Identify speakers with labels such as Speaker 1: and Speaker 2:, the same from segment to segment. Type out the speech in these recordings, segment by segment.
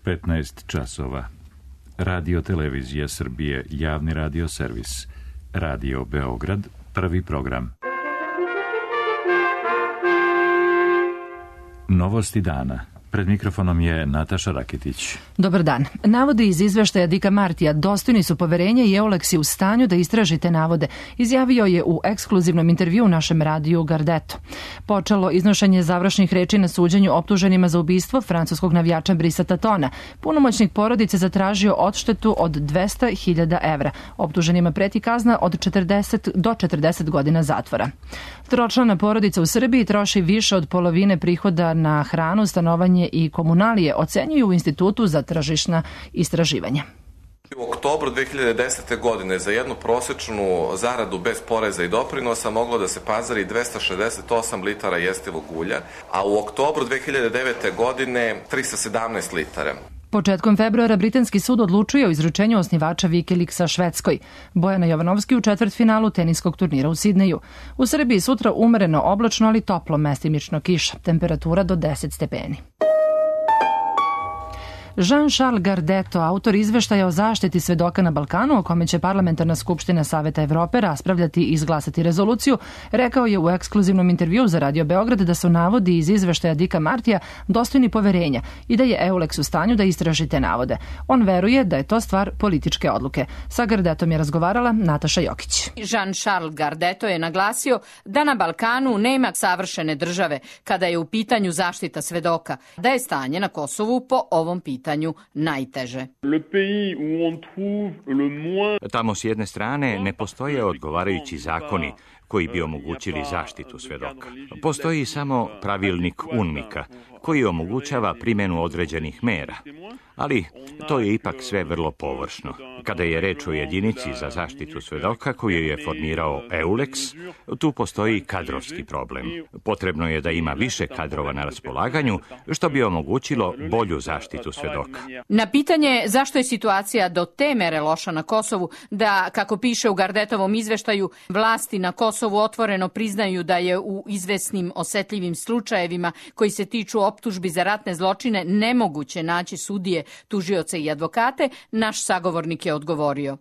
Speaker 1: 15 časova. Radio Televizija Srbije, javni radio servis. Radio Beograd, prvi program. Novosti dana. Pred mikrofonom je Nataša Rakitić.
Speaker 2: Dobar dan. Navodi iz izveštaja Dicka Martija dostojni su poverenja i EULEX je u stanju da istraži te navode, izjavio je u ekskluzivnom intervjuu našem radiju Gardeto. Počelo iznošenje završnih reči na suđenju optuženima za ubistvo francuskog navijača Brisa Tatona. Punomoćnik porodice zatražio odštetu od 200.000 evra. Optuženima preti kazna od 40 do 40 godina zatvora. Tročlana porodica u Srbiji troši više od polovine prihoda na hranu, stanovanje i komunalije, ocenjuju u Institutu za tržišna istraživanja.
Speaker 3: U oktobru 2010. godine za jednu prosečnu zaradu bez poreza i doprinosa moglo da se pazari 268 litara jestivog ulja, a u oktobru 2009. godine 317 litara.
Speaker 2: Početkom februara britanski sud odlučuje o izručenju osnivača Wikileaksa Švedskoj. Bojana Jovanovski u četvrtfinalu teniskog turnira u Sidneju. U Srbiji sutra umereno oblačno, ali toplo, mestimično kiša. Temperatura do 10 stepeni. Jean-Charles Gardeto, autor izveštaja o zaštiti svedoka na Balkanu, o kome će Parlamentarna skupština Saveta Evrope raspravljati i izglasati rezoluciju, rekao je u ekskluzivnom intervjuu za Radio Beograd da su navodi iz izveštaja Dicka Martija dostojni poverenja i da je EULEX u stanju da istraži te navode. On veruje da je to stvar političke odluke. Sa Gardetom je razgovarala Nataša Jokić.
Speaker 4: Jean-Charles Gardeto je naglasio da na Balkanu nema savršene države kada je u pitanju zaštita svedoka, da je stanje na Kosovu po ovom pitanju najteže.
Speaker 5: Tamo s jedne strane ne postoje odgovarajući zakoni koji bi omogućili zaštitu svedoka. Postoji samo pravilnik UNMIK-a koji omogućava primjenu određenih mera, ali to je ipak sve vrlo površno. Kada je reč o jedinici za zaštitu svedoka koju je formirao EULEX, tu postoji kadrovski problem. Potrebno je da ima više kadrova na raspolaganju, što bi omogućilo bolju zaštitu svedoka.
Speaker 4: Na pitanje zašto je situacija do te mere loša na Kosovu, da, kako piše u Gardetovom izveštaju, vlasti na Kosovu otvoreno priznaju da je u izvesnim osetljivim slučajevima koji se tiču optužbi za ratne zločine nemoguće naći sudije, tužioce i advokate, naš sagovornik je odgovorio.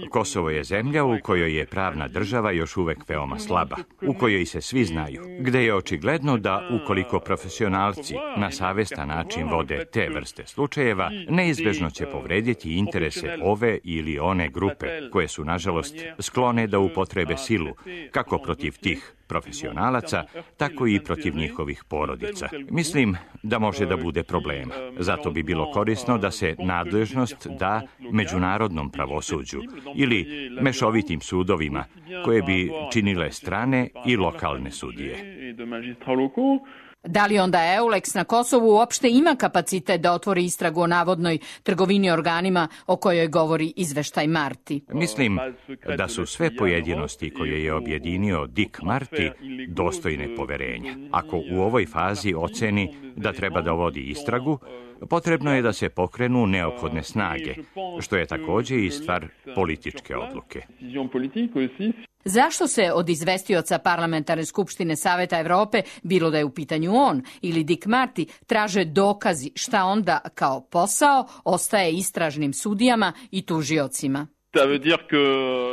Speaker 5: Kosovo je zemlja u kojoj je pravna država još uvek veoma slaba, u kojoj se svi znaju, gde je očigledno da ukoliko profesionalci na savestan način vode te vrste slučajeva, neizbežno će povrediti interese ove ili one grupe, koje su, nažalost, sklone da upotrebe silu, kako protiv tih profesionalaca, tako i protiv njihovih porodica. Mislim da može da bude problema. Zato bi bilo korisno da se nadležnost da međunarodnom pravosuđu ili mešovitim sudovima koje bi činile strane i lokalne sudije.
Speaker 4: Da li onda EULEX na Kosovu uopšte ima kapacitet da otvori istragu o navodnoj trgovini organima o kojoj govori izveštaj Marti?
Speaker 5: Mislim da su sve pojedinosti koje je objedinio Dick Marty dostojne poverenja. Ako u ovoj fazi oceni da treba da vodi istragu, potrebno je da se pokrenu neophodne snage, što je također i stvar političke odluke.
Speaker 4: Zašto se od izvestioca Parlamentarne skupštine Saveta Evrope, bilo da je u pitanju on ili Dick Marty, traže dokazi šta onda kao posao ostaje istražnim sudijama i tužiocima?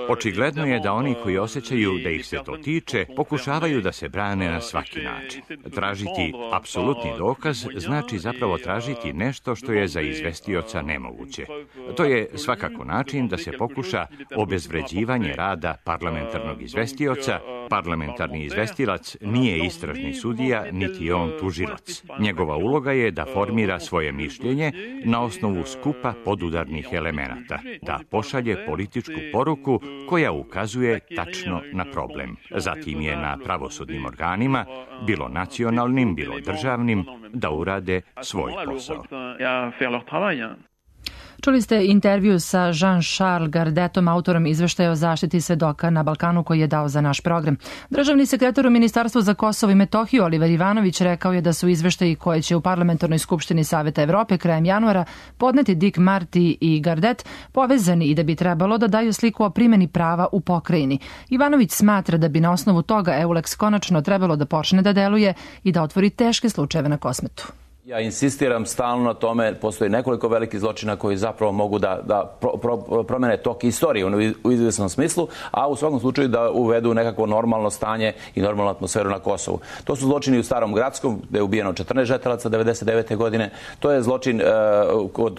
Speaker 5: Očigledno je da oni koji osjećaju da ih se to tiče, pokušavaju da se brane na svaki način. Tražiti apsolutni dokaz znači zapravo tražiti nešto što je za izvestioca nemoguće. To je svakako način da se pokuša obezvređivanje rada parlamentarnog izvestioca. Parlamentarni izvestilac nije istražni sudija, niti on tužilac. Njegova uloga je da formira svoje mišljenje na osnovu skupa podudarnih elemenata, da pošalje političku poruku koja ukazuje tačno na problem. Zatim je na pravosudnim organima, bilo nacionalnim, bilo državnim, da urade svoj posao.
Speaker 2: Čuli ste intervju sa Jean-Charles Gardetom, autorom izveštaja o zaštiti svedoka na Balkanu koji je dao za naš program. Državni sekretar u Ministarstvu za Kosovo i Metohiju Oliver Ivanović rekao je da su izveštaji koje će u Parlamentarnoj skupštini Saveta Evrope krajem januara podneti Dick Marty i Gardet povezani i da bi trebalo da daju sliku o primjeni prava u pokrajini. Ivanović smatra da bi na osnovu toga EULEX konačno trebalo da počne da deluje i da otvori teške slučajeve na Kosmetu.
Speaker 6: Ja insistiram stalno na tome, postoji nekoliko velikih zločina koji zapravo mogu da promene tok istorije u izvesnom smislu, a u svakom slučaju da uvedu nekako normalno stanje i normalnu atmosferu na Kosovu. To su zločini u Starom Gradskom, gde je ubijeno 14 žetelaca 1999. godine. To je zločin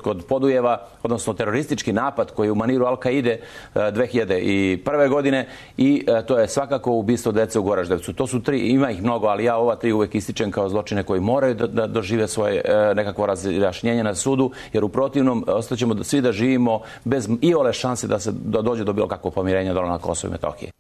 Speaker 6: kod Podujeva, odnosno teroristički napad koji je u maniru Al-Kaide 2001. godine i to je svakako ubistvo dece u Goraždevcu. To su tri, ima ih mnogo, ali ja ova tri uvek ističem kao zločine koji moraju da dožive svoje nekakvo razjašnjenje na sudu, jer u protivnom ostaćemo svi da živimo bez iole šanse da dođe do bilo kakvog pomirenja dole na Kosovu i Metohiji.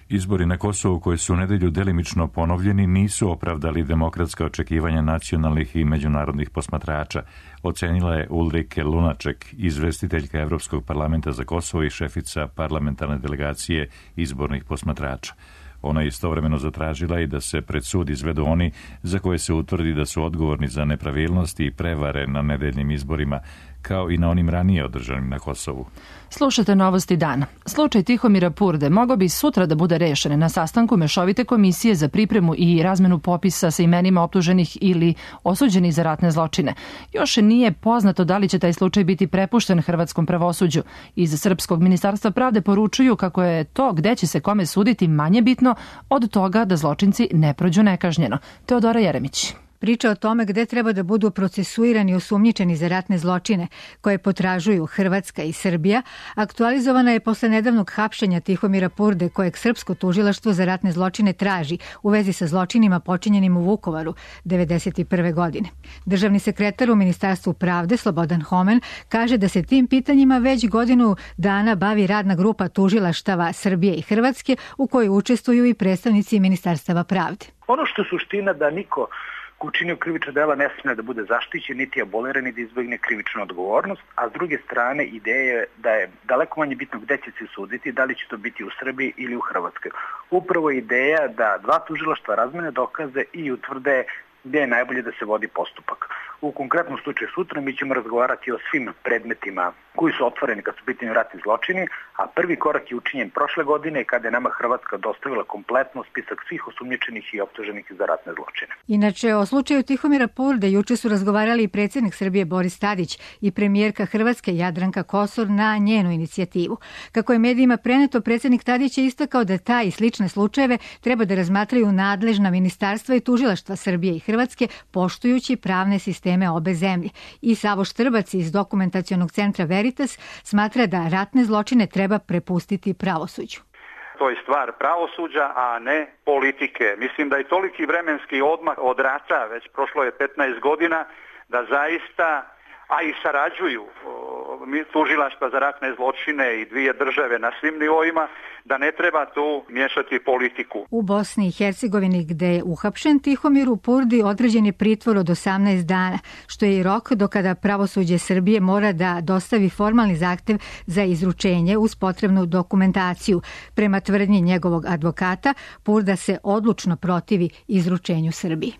Speaker 1: Izbori na Kosovu koji su u nedelju delimično ponovljeni nisu opravdali demokratska očekivanja nacionalnih i međunarodnih posmatrača, ocenila je Ulrike Lunaček, izvestiteljka Evropskog parlamenta za Kosovo i šefica parlamentarne delegacije izbornih posmatrača. Ona je istovremeno zatražila i da se pred sud izvedu oni za koje se utvrdi da su odgovorni za nepravilnosti i prevare na nedeljnim izborima, kao i na onim ranije održanim na Kosovu.
Speaker 2: Slušate Novosti dana. Slučaj Tihomira Purde mogao bi sutra da bude rešen na sastanku Mešovite komisije za pripremu i razmenu popisa sa imenima optuženih ili osuđenih za ratne zločine. Još nije poznato da li će taj slučaj biti prepušten hrvatskom pravosuđu. Iz Srpskog ministarstva pravde poručuju kako je to gde će se kome suditi manje bitno od toga da zločinci ne prođu nekažnjeno. Teodora Jeremić.
Speaker 7: Priča o tome gde treba da budu procesuirani i osumnjičeni za ratne zločine koje potražuju Hrvatska i Srbija, aktualizovana je posle nedavnog hapšenja Tihomira Purde, kojeg Srpsko tužilaštvo za ratne zločine traži u vezi sa zločinima počinjenim u Vukovaru 1991. godine. Državni sekretar u Ministarstvu pravde Slobodan Homen kaže da se tim pitanjima već godinu dana bavi radna grupa tužilaštava Srbije i Hrvatske u kojoj učestvuju i predstavnici Ministarstava pravde.
Speaker 8: Ono što je suština da niko ko učinio krivično dela ne smije da bude zaštićen, niti aboliran i da izbegne krivičnu odgovornost, a s druge strane ideja je da je daleko manje bitno gde će se suditi, da li će to biti u Srbiji ili u Hrvatskoj. Upravo je ideja da dva tužilaštva razmene dokaze i utvrde gde je najbolje da se vodi postupak. U konkretnom slučaju sutra mi ćemo razgovarati o svim predmetima koji su otvoreni kad su u pitanju ratni zločini, a prvi korak je učinjen prošle godine kada je nama Hrvatska dostavila kompletno spisak svih osumnjičenih i optuženih za ratne zločine.
Speaker 7: Inače, o slučaju Tihomira Purde juče su razgovarali i predsjednik Srbije Boris Tadić i premijerka Hrvatske Jadranka Kosor na njenu inicijativu. Kako je medijima preneto, predsjednik Tadić je istakao da taj i slične slučajeve treba da razmatraju nadležna ministarstva i tužilaštva Srbije i Hrvatske, poštujući pravne sisteme obe zemlje. I Savo Štrbac iz dokumentacionog centra Veritas smatra da ratne zločine treba prepustiti pravosuđu.
Speaker 9: To je stvar pravosuđa, a ne politike. Mislim da je toliki vremenski odmah od rata, već prošlo je 15 godina, da zaista, a i sarađuju tužilaštva za ratne zločine i dvije države na svim nivoima, da ne treba tu miješati politiku.
Speaker 7: U Bosni i Hercegovini, gde je uhapšen Tihomiru Purdi, određen je pritvor od 18 dana, što je i rok do kada pravosuđe Srbije mora da dostavi formalni zahtev za izručenje uz potrebnu dokumentaciju. Prema tvrdnji njegovog advokata, Purda se odlučno protivi izručenju Srbiji.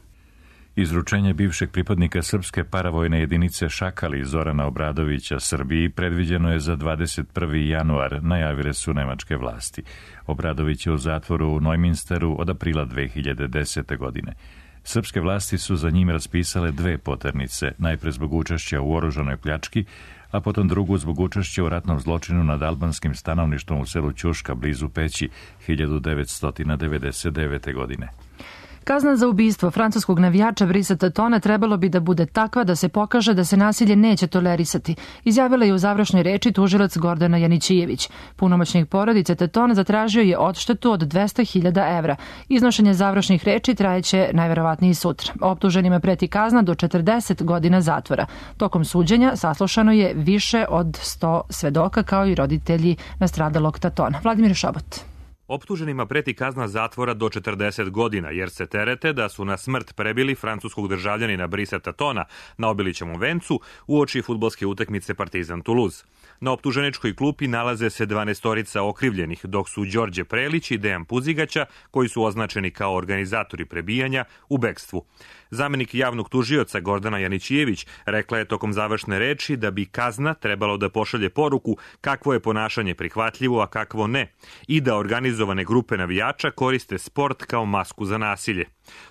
Speaker 1: Izručenje bivšeg pripadnika srpske paravojne jedinice Šakali Zorana Obradovića Srbiji predviđeno je za 21. januar, najavile su nemačke vlasti. Obradović je u zatvoru u Neuminsteru od aprila 2010. godine. Srpske vlasti su za njim raspisale dve poternice, najpre zbog učešća u oružanoj pljački, a potom drugu zbog učešća u ratnom zločinu nad albanskim stanovništvom u selu Ćuška blizu Peći 1999. godine.
Speaker 2: Kazna za ubistvo francuskog navijača Brisa Tatona trebalo bi da bude takva da se pokaže da se nasilje neće tolerisati, izjavila je u završnoj reči tužilac Gordana Janićijević. Punomoćnik porodice Tatona zatražio je odštetu od 200.000 evra. Iznošenje završnih reči trajeće najverovatnije sutra. Optuženima preti kazna do 40 godina zatvora. Tokom suđenja saslušano je više od 100 svedoka kao i roditelji nastradalog Tatona. Vladimir Šobot.
Speaker 10: Optuženima preti kazna zatvora do 40 godina, jer se terete da su na smrt prebili francuskog državljanina Brisa Tatona na Obilićevom vencu uoči fudbalske utakmice Partizan Toulouse. Na optuženičkoj klupi nalaze se 12 okrivljenih, dok su Đorđe Prelić i Dejan Puzigaća, koji su označeni kao organizatori prebijanja, u bekstvu. Zamenik javnog tužioca Gordana Janićijević rekla je tokom završne reči da bi kazna trebalo da pošalje poruku kakvo je ponašanje prihvatljivo, a kakvo ne, i da organizovane grupe navijača koriste sport kao masku za nasilje.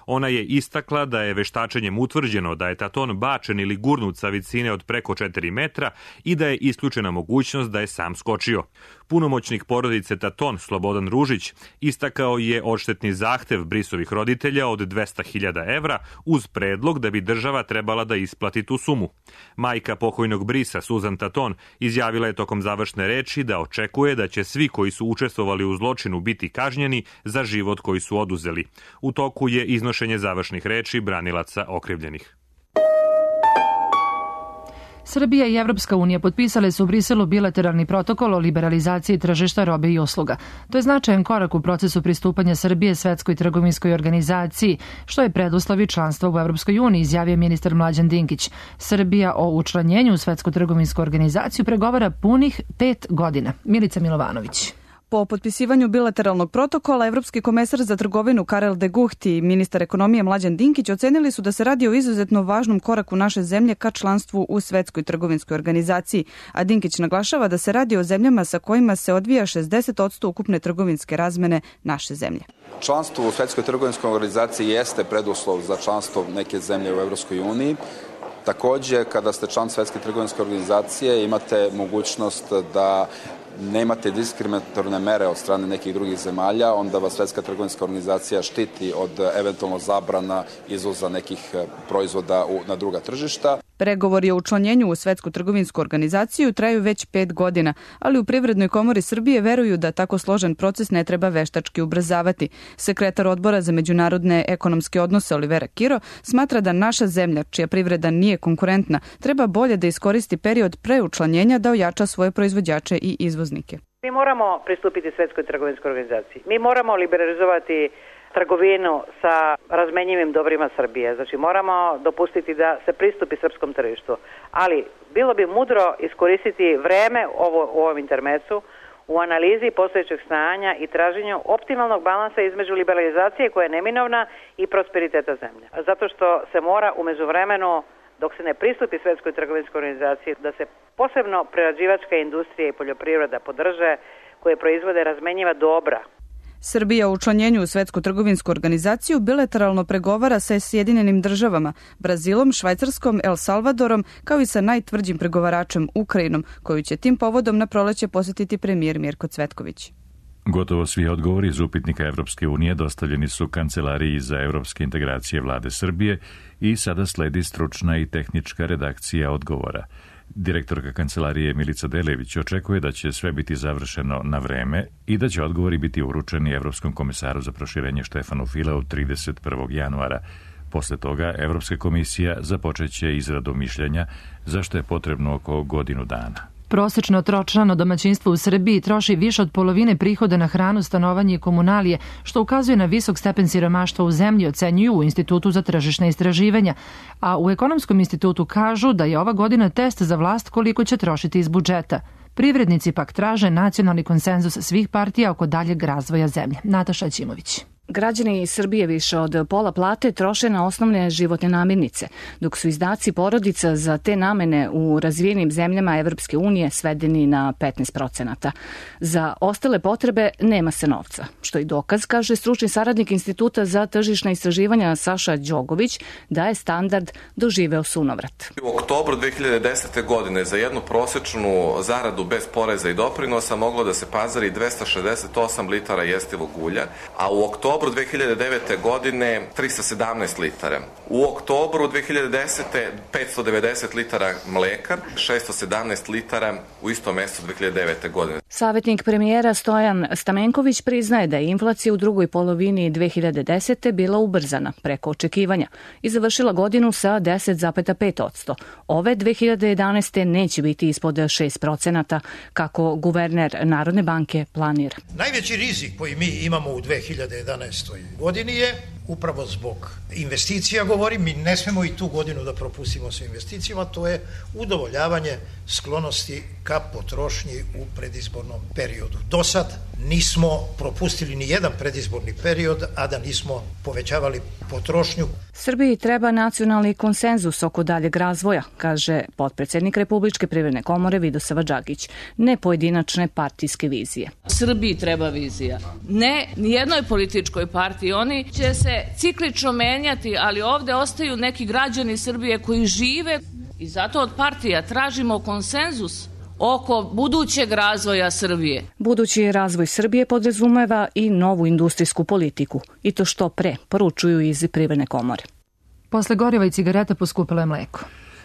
Speaker 10: Ona je istakla da je veštačenjem utvrđeno da je Taton bačen ili gurnut sa visine od preko 4 metra i da je isključena mogućnost da je sam skočio. Punomoćnik porodice Taton, Slobodan Ružić, istakao je odštetni zahtev Brisovih roditelja od 200.000 evra uz predlog da bi država trebala da isplati tu sumu. Majka pokojnog Brisa, Suzan Taton, izjavila je tokom završne reči da očekuje da će svi koji su učestvovali u zločinu biti kažnjeni za život koji su oduzeli. U toku je iznošenje završnih reči branilaca okrivljenih.
Speaker 2: Srbija i Evropska unija potpisale su u Briselu bilateralni protokol o liberalizaciji tržišta robe i usluga. To je značajan korak u procesu pristupanja Srbije Svetskoj trgovinskoj organizaciji, što je preduslov članstva u Evropskoj uniji, izjavio ministar Mlađan Dinkić. Srbija o učlanjenju u Svetsku trgovinsku organizaciju pregovara punih 5 godina. Milica Milovanović.
Speaker 11: Po potpisivanju bilateralnog protokola, Evropski komesar za trgovinu Karel de Gucht i ministar ekonomije Mlađan Dinkić ocenili su da se radi o izuzetno važnom koraku naše zemlje ka članstvu u Svetskoj trgovinskoj organizaciji, a Dinkić naglašava da se radi o zemljama sa kojima se odvija 60% ukupne trgovinske razmene naše zemlje.
Speaker 12: Članstvo u Svetskoj trgovinskoj organizaciji jeste preduslov za članstvo neke zemlje u Evropskoj uniji. Takođe, kada ste član Svetske trgovinske organizacije, imate mogućnost da nemate diskriminatorne mere od strane nekih drugih zemalja, onda vas Svetska trgovinska organizacija štiti od eventualno zabrana izvoza nekih proizvoda na druga tržišta.
Speaker 11: Pregovori o učlanjenju u Svetsku trgovinsku organizaciju traju već 5 godina, ali u Privrednoj komori Srbije veruju da tako složen proces ne treba veštački ubrzavati. Sekretar odbora za međunarodne ekonomske odnose Olivera Kiro smatra da naša zemlja, čija privreda nije konkurentna, treba bolje da iskoristi period pre učlanjenja da ojača svoje proizvođače i izvoznike.
Speaker 13: Mi moramo pristupiti Svetskoj trgovinskoj organizaciji. Mi moramo liberalizovati trgovinu sa razmenjivim dobrima Srbije. Znači moramo dopustiti da se pristupi srpskom tržištu. Ali bilo bi mudro iskoristiti vreme u ovom intermecu u analizi postojećeg stanja i traženju optimalnog balansa između liberalizacije koja je neminovna i prosperiteta zemlje. Zato što se mora u međuvremenu, dok se ne pristupi Svetskoj trgovinskoj organizaciji, da se posebno prerađivačka industrija i poljoprivreda podrže koje proizvode razmenjiva dobra.
Speaker 11: Srbija u učlanjenju u Svetsku trgovinsku organizaciju bilateralno pregovara sa Sjedinjenim državama, Brazilom, Švajcarskom, El Salvadorom, kao i sa najtvrđim pregovaračem Ukrajinom, koju će tim povodom na proleće posjetiti premijer Mirko Cvetković.
Speaker 1: Gotovo svi odgovori iz upitnika Evropske unije dostavljeni su Kancelariji za evropske integracije Vlade Srbije i sada sledi stručna i tehnička redakcija odgovora. Direktorka Kancelarije Milica Delević očekuje da će sve biti završeno na vreme i da će odgovori biti uručeni Evropskom komisaru za proširenje Štefanu Fileu 31. januara. Posle toga Evropska komisija započeće izradu mišljenja, za što je potrebno oko godinu dana.
Speaker 2: Prosečno tročlano domaćinstvo u Srbiji troši više od polovine prihoda na hranu, stanovanje i komunalije, što ukazuje na visok stepen siromaštva u zemlji, ocenjuju u Institutu za tržišna istraživanja. A u Ekonomskom institutu kažu da je ova godina test za vlast koliko će trošiti iz budžeta. Privrednici pak traže nacionalni konsenzus svih partija oko daljeg razvoja zemlje. Nataša Ćimović.
Speaker 14: Građani Srbije više od pola plate troše na osnovne životne namirnice, dok su izdaci porodica za te namene u razvijenim zemljama Evropske unije svedeni na 15%. Za ostale potrebe nema se novca, što je dokaz, kaže stručni saradnik Instituta za tržišna istraživanja Saša Đogović, da je standard doživeo sunovrat.
Speaker 3: U oktobru 2010. godine za jednu prosečnu zaradu bez poreza i doprinosa moglo da se pazari 268 litara jestivog ulja, a u oktobru 2009. godine 317 litara. U oktobru 2010. 590 litara mleka, 617 litara u istom mesecu 2009. godine.
Speaker 14: Savjetnik premijera Stojan Stamenković priznaje da je inflacija u drugoj polovini 2010. bila ubrzana preko očekivanja i završila godinu sa 10,5%. Ove 2011. neće biti ispod 6%, kako guverner Narodne banke planira.
Speaker 15: Najveći rizik koji mi imamo u 2011. godini je upravo zbog investicija, govorim, mi ne smemo i tu godinu da propustimo sa investicijama, to je udovoljavanje sklonosti ka potrošnji u predizbornom periodu. Do sad nismo propustili ni jedan predizborni period, a da nismo povećavali potrošnju.
Speaker 14: Srbiji treba nacionalni konsenzus oko daljeg razvoja, kaže potpredsednik Republičke privredne komore Vidosava Đagić, ne pojedinačne partijske vizije.
Speaker 16: Srbiji treba vizija. Ne nijednoj političkoj partiji, oni će se ciklično menjati, ali ovde ostaju neki građani Srbije koji žive i zato od partija tražimo konsenzus oko budućeg razvoja Srbije.
Speaker 14: Budući razvoj Srbije podrazumeva i novu industrijsku politiku, i to što pre, poručuju iz Privredne komore.
Speaker 2: Posle goriva i cigareta poskupilo je mleko.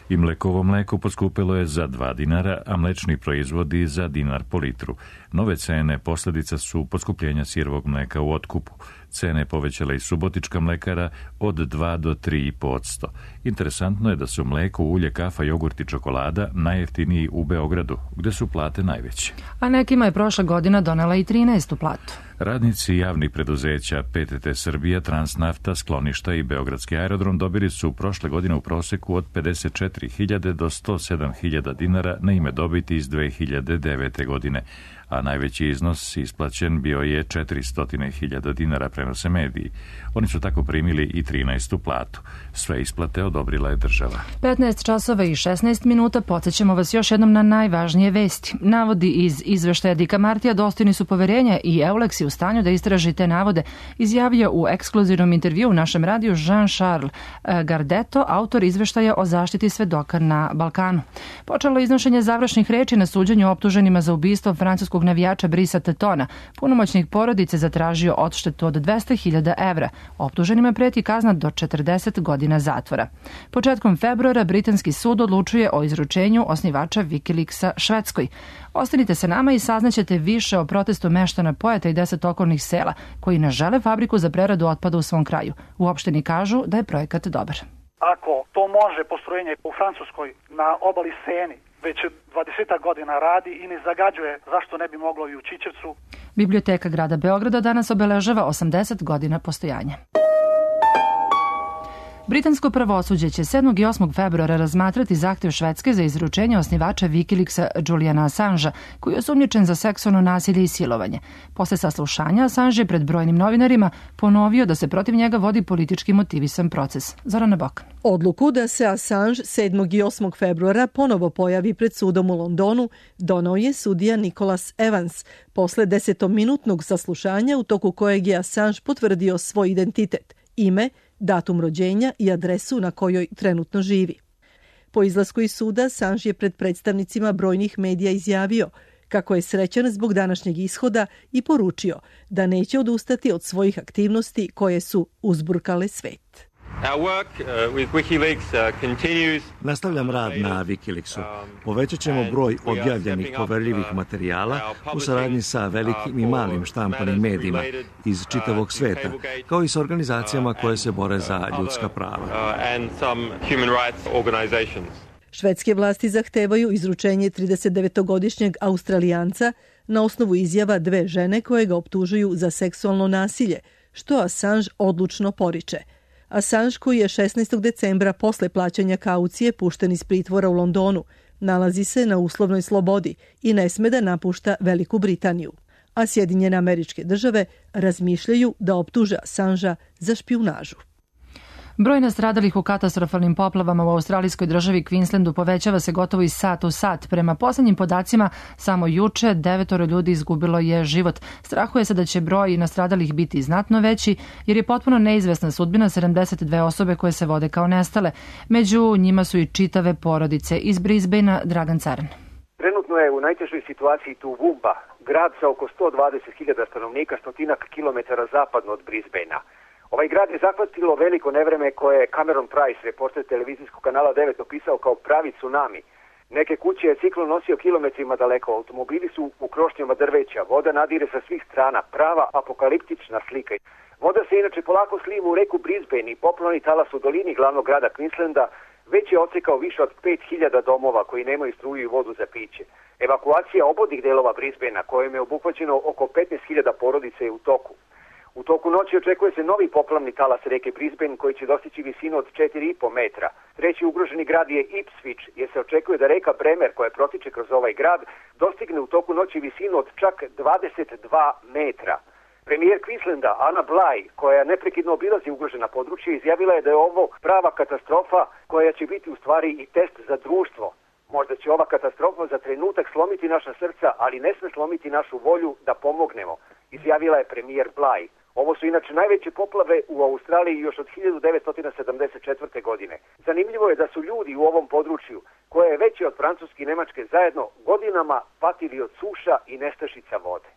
Speaker 1: I mlekovo mleko poskupilo je za 2 dinara, a mlečni proizvodi za dinar po litru. Nove cene posljedica su poskupljenja sirovog mleka u otkupu. Cene povećala i Subotička mlekara od 2 do 3,5%. Interesantno je da su mleko, ulje, kafa, jogurt i čokolada najjeftiniji u Beogradu, gde su plate najveće.
Speaker 2: A nekima je prošla godina donela i 13. platu.
Speaker 1: Radnici javnih preduzeća PTT Srbija, Transnafta, Skloništa i Beogradski aerodrom dobili su prošle godine u proseku od 54.000 do 107.000 dinara na ime dobiti iz 2009. godine, a najveći iznos isplaćen bio je 400.000 dinara, prenose mediji. Oni su tako primili i 13. platu. Sve isplate odobrila je država.
Speaker 2: 15 časova i 16 minuta, podsjećamo vas još jednom na najvažnije vesti. Navodi iz izveštaja Dika Martija dostojni su poverenja i Eulex je u stanju da istraži te navode, izjavio u ekskluzivnom intervju u našem radiju Jean-Charles Gardetto, autor izveštaja o zaštiti svedoka na Balkanu. Počelo iznošenje završnih reči na suđenju optuženima za ubistvo francuskog navijača Brisa Tetona. Punomoćnik porodice zatražio odštetu od 200.000 evra. Optuženima preti kazna do 40 godina zatvora. Početkom februara britanski sud odlučuje o izručenju osnivača Wikileaksa Švedskoj. Ostanite sa nama i saznaćete više o protestu meštana Pojata i 10 okolnih sela koji ne žele fabriku za preradu otpada u svom kraju. U opštini kažu da je projekat dobar.
Speaker 17: Ako to može postrojenje u Francuskoj na obali Seni već 20 godina radi i ne zagađuje, zašto ne bi moglo i u Čičevcu?
Speaker 2: Biblioteka grada Beograda danas obeležava 80 godina postojanja. Britansko pravosuđe će 7. i 8. februara razmatrati zahtev Švedske za izručenje osnivača Wikileaksa Juliana Assangea, koji je osumnjičen za seksualno nasilje i silovanje. Posle saslušanja Assange je pred brojnim novinarima ponovio da se protiv njega vodi politički motivisan proces. Zorana Bokan.
Speaker 18: Odluku da se Assange 7. i 8. februara ponovo pojavi pred sudom u Londonu donao je sudija Nicholas Evans posle 10-minutnog saslušanja u toku kojeg je Assange potvrdio svoj identitet, ime, datum rođenja i adresu na kojoj trenutno živi. Po izlasku iz suda, Assange je pred predstavnicima brojnih medija izjavio kako je srećan zbog današnjeg ishoda i poručio da neće odustati od svojih aktivnosti koje su uzburkale svet.
Speaker 19: Nastavljam rad na Wikileaksu. Povećat ćemo broj objavljenih poverljivih materijala u saradnji sa velikim i malim štampanim medijima iz čitavog sveta, kao i sa organizacijama koje se bore za ljudska prava.
Speaker 18: Švedske vlasti zahtevaju izručenje 39-godišnjeg Australijanca na osnovu izjava 2 žene koje ga optužuju za seksualno nasilje, što Assange odlučno poriče. Assange, koji je 16. decembra posle plaćanja kaucije pušten iz pritvora u Londonu, nalazi se na uslovnoj slobodi i ne sme da napušta Veliku Britaniju. A Sjedinjene Američke Države razmišljaju da optuže Assangea za špijunažu.
Speaker 2: Broj nastradalih u katastrofalnim poplavama u australijskoj državi Queenslandu povećava se gotovo iz sata u sat. Prema poslednjim podacima, samo juče 9 ljudi izgubilo je život. Strahuje se da će broj nastradalih biti znatno veći, jer je potpuno neizvesna sudbina 72 osobe koje se vode kao nestale. Među njima su i čitave porodice. Iz Brisbanea, Dragan Caran.
Speaker 20: Trenutno je u najtežoj situaciji Toowoomba, grad sa oko 120.000 stanovnika, stotinak kilometara zapadno od Brisbanea. Ovaj grad je zahvatilo veliko nevreme koje je Cameron Price, reporter televizijskog kanala 9, opisao kao pravi tsunami. Neke kuće je ciklon nosio kilometrima daleko, automobili su u krošnjama drveća, voda nadire sa svih strana, prava apokaliptična slika. Voda se inače polako sliva u reku Brisbane i poplavni talas u dolini glavnog grada Queenslanda već je odsekao više od 5.000 domova koji nemaju struju i vodu za piće. Evakuacija obodnih delova Brisbanea, kojim je obuhvaćeno oko 15.000 porodica, je u toku. U toku noći očekuje se novi poplavni talas reke Brisbane koji će dostići visinu od 4,5 metra. Treći ugroženi grad je Ipswich, jer se očekuje da reka Bremer, koja protiče kroz ovaj grad, dostigne u toku noći visinu od čak 22 metra. Premijer Queenslanda Anna Bligh, koja neprekidno obilazi ugrožena područja, izjavila je da je ovo prava katastrofa koja će biti u stvari i test za društvo. Možda će ova katastrofa za trenutak slomiti naša srca, ali ne sme slomiti našu volju da pomognemo, izjavila je premijer Bligh. Ovo su inače najveće poplave u Australiji još od 1974. godine. Zanimljivo je da su ljudi u ovom području, koje je veće od Francuske i Nemačke zajedno, godinama patili od suša i nestašica vode.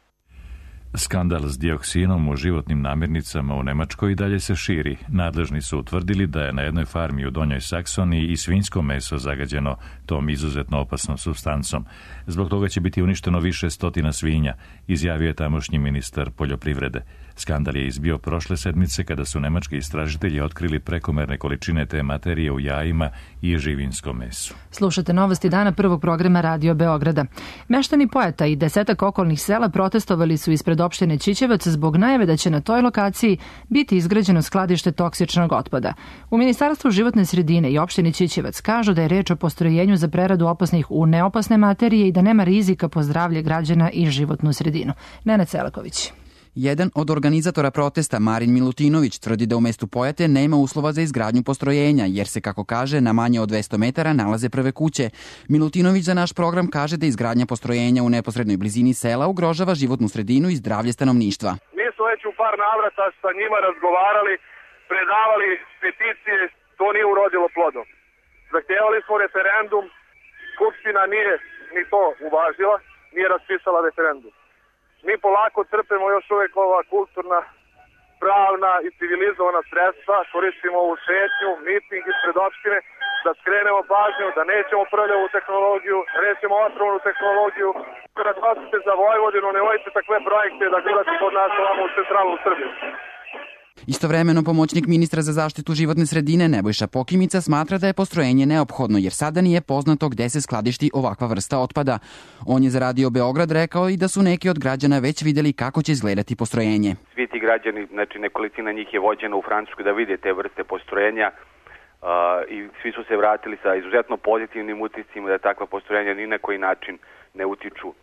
Speaker 1: Skandal s dioksinom u životnim namirnicama u Nemačkoj i dalje se širi. Nadležni su utvrdili da je na jednoj farmi u Donjoj Saksoniji i svinjsko meso zagađeno tom izuzetno opasnom supstancom. Zbog toga će biti uništeno više stotina svinja, izjavio je tamošnji ministar poljoprivrede. Skandal je izbio prošle sedmice kada su nemački istražitelji otkrili prekomerne količine te materije u jajima i živinskom mesu.
Speaker 2: Slušate novosti dana prvog programa Radio Beograda. Meštani Pojata i 10 okolnih sela protestovali su ispred opštine Ćićevac zbog najave da će na toj lokaciji biti izgrađeno skladište toksičnog otpada. U Ministarstvu životne sredine i opštini Ćićevac kažu da je reč o postrojenju za preradu opasnih u neopasne materije i da nema rizika po zdravlje građana i životnu sredinu. Nenad Selaković.
Speaker 21: Jedan od organizatora protesta, Marin Milutinović, tvrdi da u mestu Pojate nema uslova za izgradnju postrojenja, jer se, kako kaže, na manje od 200 metara nalaze prve kuće. Milutinović za naš program kaže da izgradnja postrojenja u neposrednoj blizini sela ugrožava životnu sredinu i zdravlje stanovništva.
Speaker 22: Mi smo već u par navrata sa njima razgovarali, predavali peticije, to nije urodilo plodom. Zahtevali smo referendum, Skupština nije ni to uvažila, nije raspisala referendum. Mi polako crpemo još uvijek ova kulturna, pravna i civilizovana sredstva, koristimo ovu šetnju, miting ispred opštine, da skrenemo pažnju, da nećemo prljavu tehnologiju, nećemo otrovnu tehnologiju. Kada glasite za Vojvodinu, ne vojite takve projekte da gledate kod nas ovamo u centralnu Srbiju.
Speaker 21: Istovremeno pomoćnik ministra za zaštitu životne sredine Nebojša Pokimica smatra da je postrojenje neophodno jer sada nije poznato gde se skladišti ovakva vrsta otpada. On je za Radio Beograd rekao i da su neki od građana već videli kako će izgledati postrojenje.
Speaker 23: Svi ti građani, znači nekolicina njih je vođena u Francusku da vide te vrste postrojenja i svi su se vratili sa izuzetno pozitivnim utiscima da takva postrojenja ni na koji način ne utiču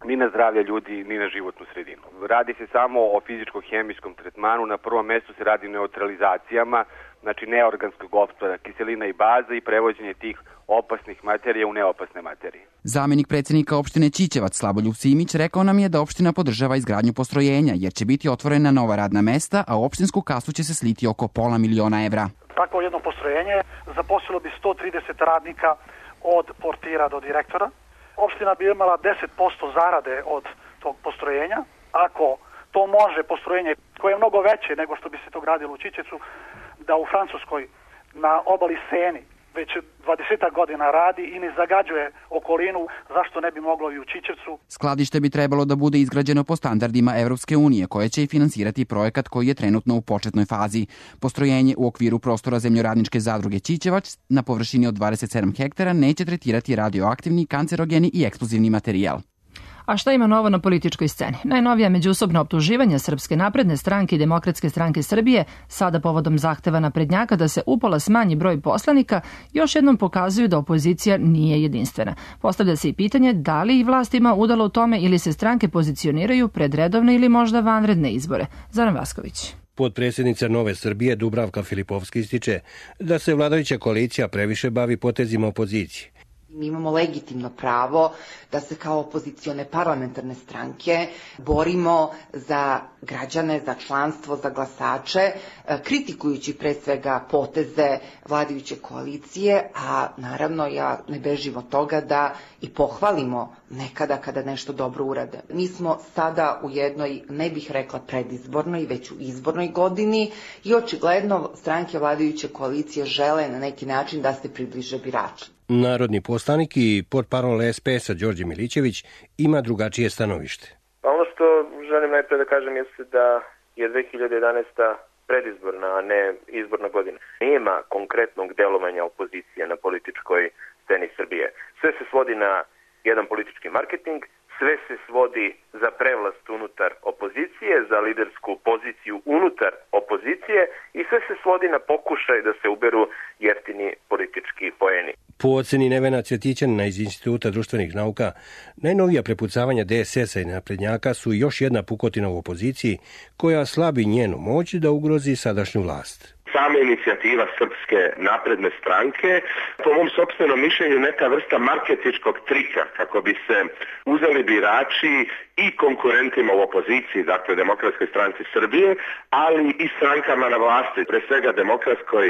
Speaker 23: ni na zdravlje ljudi, ni na životnu sredinu. Radi se samo o fizičko-hemijskom tretmanu, na prvom mestu se radi o neutralizacijama, znači neorganskog otpada, kiselina i baza i prevođenje tih opasnih materija u neopasne materije.
Speaker 21: Zamenik predsjednika opštine Ćićevac Slaboljub Simić rekao nam je da opština podržava izgradnju postrojenja jer će biti otvorena nova radna mesta, a u opštinsku kasu će se sliti oko $500.000 evra.
Speaker 17: Takvo jedno postrojenje zaposlilo bi 130 radnika od portira do direktora. Opština bi imala 10% zarade od tog postrojenja. Ako to može postrojenje koje je mnogo veće nego što bi se to gradilo u Ćićevcu, da u Francuskoj na obali Seni već 20 godina radi i ne zagađuje okolinu, zašto ne bi moglo i u Ćićevcu?
Speaker 21: Skladište bi trebalo da bude izgrađeno po standardima Evropske unije, koje će i finansirati projekat koji je trenutno u početnoj fazi. Postrojenje u okviru prostora Zemljoradničke zadruge Ćićevac na površini od 27 hektara neće tretirati radioaktivni, kancerogeni i eksplozivni materijal.
Speaker 2: A šta ima novo na političkoj sceni? Najnovija međusobna optuživanja Srpske napredne stranke i Demokratske stranke Srbije, sada povodom zahteva naprednjaka da se upola smanji broj poslanika, još jednom pokazuju da opozicija nije jedinstvena. Postavlja se i pitanje da li i vlast ima udalo u tome ili se stranke pozicioniraju pred redovne ili možda vanredne izbore. Zoran Vasković.
Speaker 24: Potpredsjednica Nove Srbije Dubravka Filipovski ističe da se vladajuća koalicija previše bavi potezima opozicije.
Speaker 25: Mi imamo legitimno pravo da se kao opozicione parlamentarne stranke borimo za građane, za članstvo, za glasače, kritikujući pre svega poteze vladajuće koalicije, a naravno ja ne bežim od toga da i pohvalimo nekada kada nešto dobro urade. Mi smo sada u jednoj, ne bih rekla predizbornoj, već u izbornoj godini i očigledno stranke vladajuće koalicije žele na neki način da se približe biračima.
Speaker 24: Narodni poslanik i portparol SPS-a Đorđe Milićević ima drugačije stanovište.
Speaker 26: Ono što želim najpre da kažem jeste da je 2011. predizborna, a ne izborna godina. Nema konkretnog delovanja opozicije na političkoj sceni Srbije. Sve se svodi na jedan politički marketing, sve se svodi za prevlast unutar opozicije, za lidersku poziciju unutar opozicije i sve se svodi na pokušaj da se uberu jeftini politički poeni.
Speaker 24: Po oceni Nevena Cvjetićanina iz Instituta društvenih nauka, najnovija prepucavanja DSS-a i naprednjaka su još jedna pukotina u opoziciji koja slabi njenu moć da ugrozi sadašnju vlast.
Speaker 27: Sama inicijativa Srpske napredne stranke, po mom sopstvenom mišljenju, neka vrsta marketinškog trika kako bi se uzeli birači i konkurentima u opoziciji, dakle Demokratskoj stranci Srbije, ali i strankama na vlasti, pre svega Demokratskoj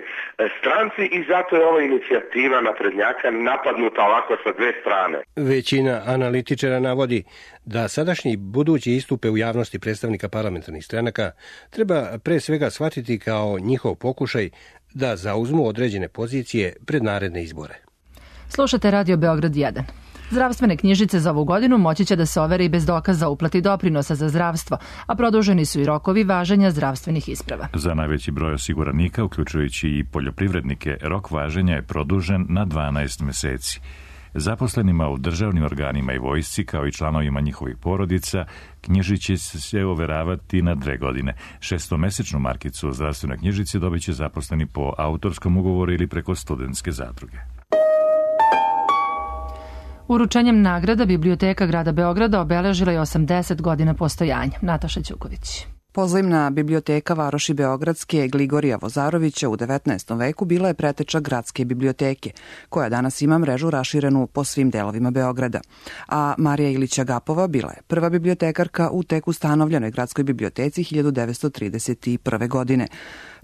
Speaker 27: stranci, i zato je ova inicijativa naprednjaka napadnuta ovako sa dve strane.
Speaker 24: Većina analitičara navodi da sadašnji budući istupe u javnosti predstavnika parlamentarnih stranaka treba pre svega shvatiti kao njihov pokušaj da zauzmu određene pozicije pred naredne izbore.
Speaker 2: Slušate Radio Beograd 1. Zdravstvene knjižice za ovu godinu moći će da se overe i bez dokaza o uplati doprinosa za zdravstvo, a produženi su i rokovi važenja zdravstvenih isprava.
Speaker 1: Za najveći broj osiguranika, uključujući i poljoprivrednike, rok važenja je produžen na 12 meseci. Zaposlenima u državnim organima i vojsci, kao i članovima njihovih porodica, knjižice će se overavati na 2 godine. 6-mesečnu markicu o zdravstvenoj knjižici dobit će zaposleni po autorskom ugovoru ili preko studentske zadruge.
Speaker 2: Uručenjem nagrada Biblioteka grada Beograda obeležila je 80 godina postojanja. Nataša Ćuković.
Speaker 4: Pozivna biblioteka varoši Beogradske Gligorija Vozarovića u 19. veku bila je preteča gradske biblioteke, koja danas ima mrežu raširenu po svim delovima Beograda. A Marija Ilića Gapova bila je prva bibliotekarka u tek ustanovljenoj gradskoj biblioteci 1931. godine.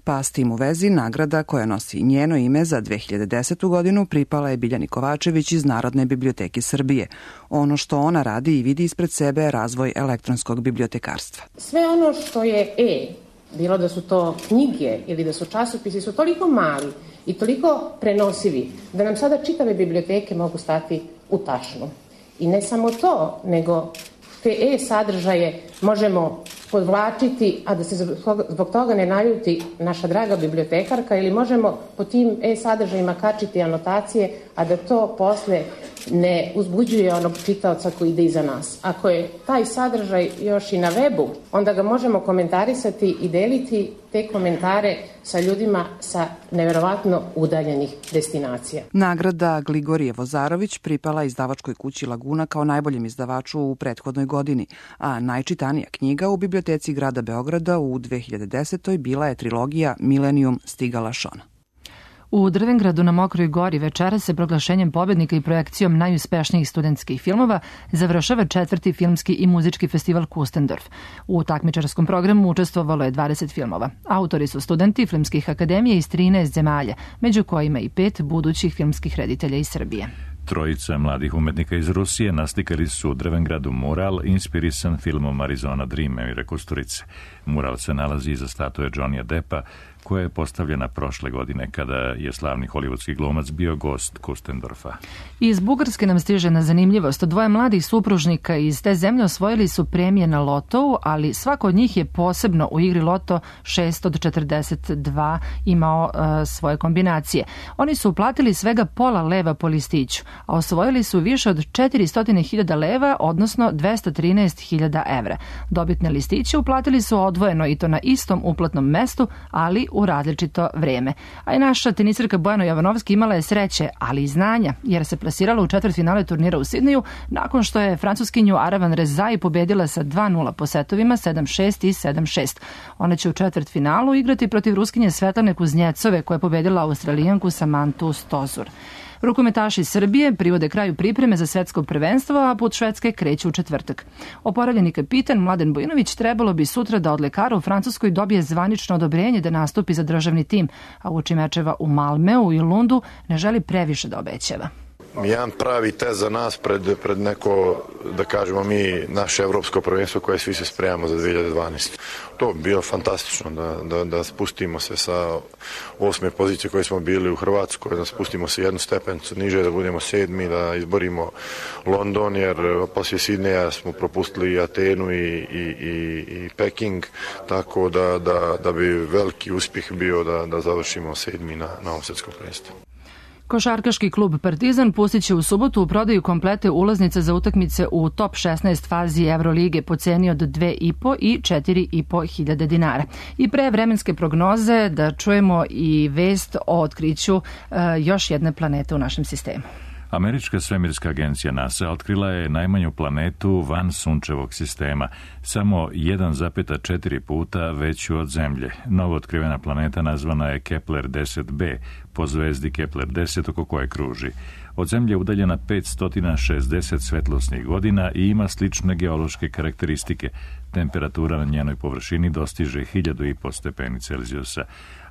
Speaker 4: Pa s tim u vezi nagrada koja nosi njeno ime za 2010. godinu pripala je Biljani Kovačević iz Narodne biblioteke Srbije. Ono što ona radi i vidi ispred sebe je razvoj elektronskog bibliotekarstva.
Speaker 5: Sve ono što je bilo da su to knjige ili da su časopisi, su toliko mali i toliko prenosivi da nam sada čitave biblioteke mogu stati u tašnu. I ne samo to, nego te sadržaje možemo podvlačiti, a da se zbog toga ne naljuti naša draga bibliotekarka, ili možemo po tim sadržajima kačiti anotacije, a da to posle ne uzbuđuje onog čitaoca koji ide iza nas. Ako je taj sadržaj još i na webu, onda ga možemo komentarisati i deliti te komentare sa ljudima sa neverovatno udaljenih destinacija.
Speaker 4: Nagrada Gligorije Vozarović pripala izdavačkoj kući Laguna kao najboljem izdavaču u prethodnoj godini, a najčitanija knjiga u biblioteci grada Beograda u 2010. bila je trilogija Milenijum Stigala Šona.
Speaker 2: U Drvengradu na Mokroj gori večera se proglašenjem pobednika i projekcijom najuspešnijih studentskih filmova završava 4. filmski i muzički festival Kustendorf. U takmičarskom programu učestvovalo je 20 filmova. Autori su studenti filmskih akademija iz 13 zemalja, među kojima i 5 budućih filmskih reditelja iz Srbije.
Speaker 1: Trojica mladih umetnika iz Rusije naslikali su u Drvengradu mural inspirisan filmom Arizona Dream Emira Kusturice. Mural se nalazi iza statue Johnnyja Deppa, koja je postavljena prošle godine kada je slavni hollywoodski glumac bio gost Kustendorfa.
Speaker 2: Iz Bugarske nam stiže na zanimljivost. 2 mladih supružnika iz te zemlje osvojili su premije na lotou, ali svako od njih je posebno u igri loto 6 od 42 imao svoje kombinacije. Oni su uplatili svega pola leva po listiću, a osvojili su više od 400.000 leva, odnosno 213.000 evra. Dobitne listiće uplatili su odvojeno i to na istom uplatnom mestu, ali u različito vreme. A i naša tenisirka Bojana Jovanovski imala je sreće, ali i znanja, jer se plasirala u četvrtfinale turnira u Sidneju nakon što je francuskinju Aravan Rezai pobedila sa 2-0 po setovima 7-6 i 7-6. Ona će u četvrtfinalu igrati protiv Ruskinje Svetlane Kuznjecove, koja je pobedila Australijanku Samantu Stosur. Rukometaši Srbije privode kraju pripreme za svetsko prvenstvo, a put Švedske kreće u četvrtak. Oporavljeni kapitan Mladen Bojinović trebalo bi sutra da od lekara u Francuskoj dobije zvanično odobrenje da nastupi za državni tim, a uoči mečeva u Malmeu i Lundu ne želi previše da obećava.
Speaker 6: Jedan pravi test za nas pred neko, da kažemo mi, naše evropsko prvenstvo koje svi se spremamo za 2012. To bi bilo fantastično da spustimo se sa 8. pozicije koje smo bili u Hrvatskoj, da spustimo se jednu stepenicu niže, da budemo 7. da izborimo London, jer poslije Sidneja smo propustili Atenu i Peking, tako da bi veliki uspjeh bio da završimo 7. na ovom svjetskom prvenstvu.
Speaker 2: Košarkaški klub Partizan pustit će u subotu u prodaju komplete ulaznice za utakmice u top 16 fazi Evrolige po ceni od 2,5 i 4,5 hiljade dinara. I pre vremenske prognoze da čujemo i vest o otkriću još jedne planete u našem sistemu.
Speaker 1: Američka svemirska agencija NASA otkrila je najmanju planetu van sunčevog sistema, samo 1,4 puta veću od Zemlje. Novo otkrivena planeta nazvana je Kepler 10b, po zvezdi Kepler 10 oko koje kruži. Od Zemlje je udaljena 560 svetlosnih godina i ima slične geološke karakteristike. Temperatura na njenoj površini dostiže 1500 stepeni Celzijusa.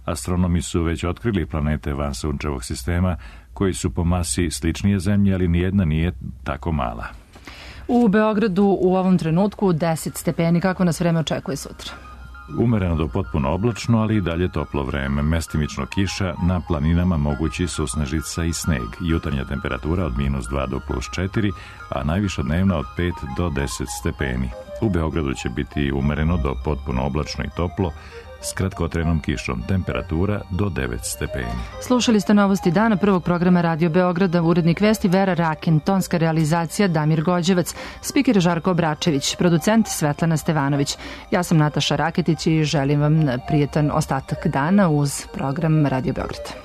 Speaker 1: Astronomi su već otkrili planete van sunčevog sistema koji su po masi sličnije Zemlji, ali nijedna nije tako mala.
Speaker 2: U Beogradu u ovom trenutku 10 stepeni. Kako nas vreme očekuje sutra?
Speaker 1: Umereno do potpuno oblačno, ali i dalje toplo vreme. Mestimično kiša, na planinama mogući susnežica i sneg. Jutarnja temperatura od -2 do +4, a najviša dnevna od 5 do 10 stepeni. U Beogradu će biti umereno do potpuno oblačno i toplo, s kratkotrenom kišom, temperatura do 9 stepeni.
Speaker 2: Slušali ste novosti dana prvog programa Radio Beograda, urednik vesti Vera Rakin, tonska realizacija Damir Gođevac, spiker Žarko Obračević, producent Svetlana Stevanović. Ja sam Nataša Raketić i želim vam prijetan ostatak dana uz program Radio Beograda.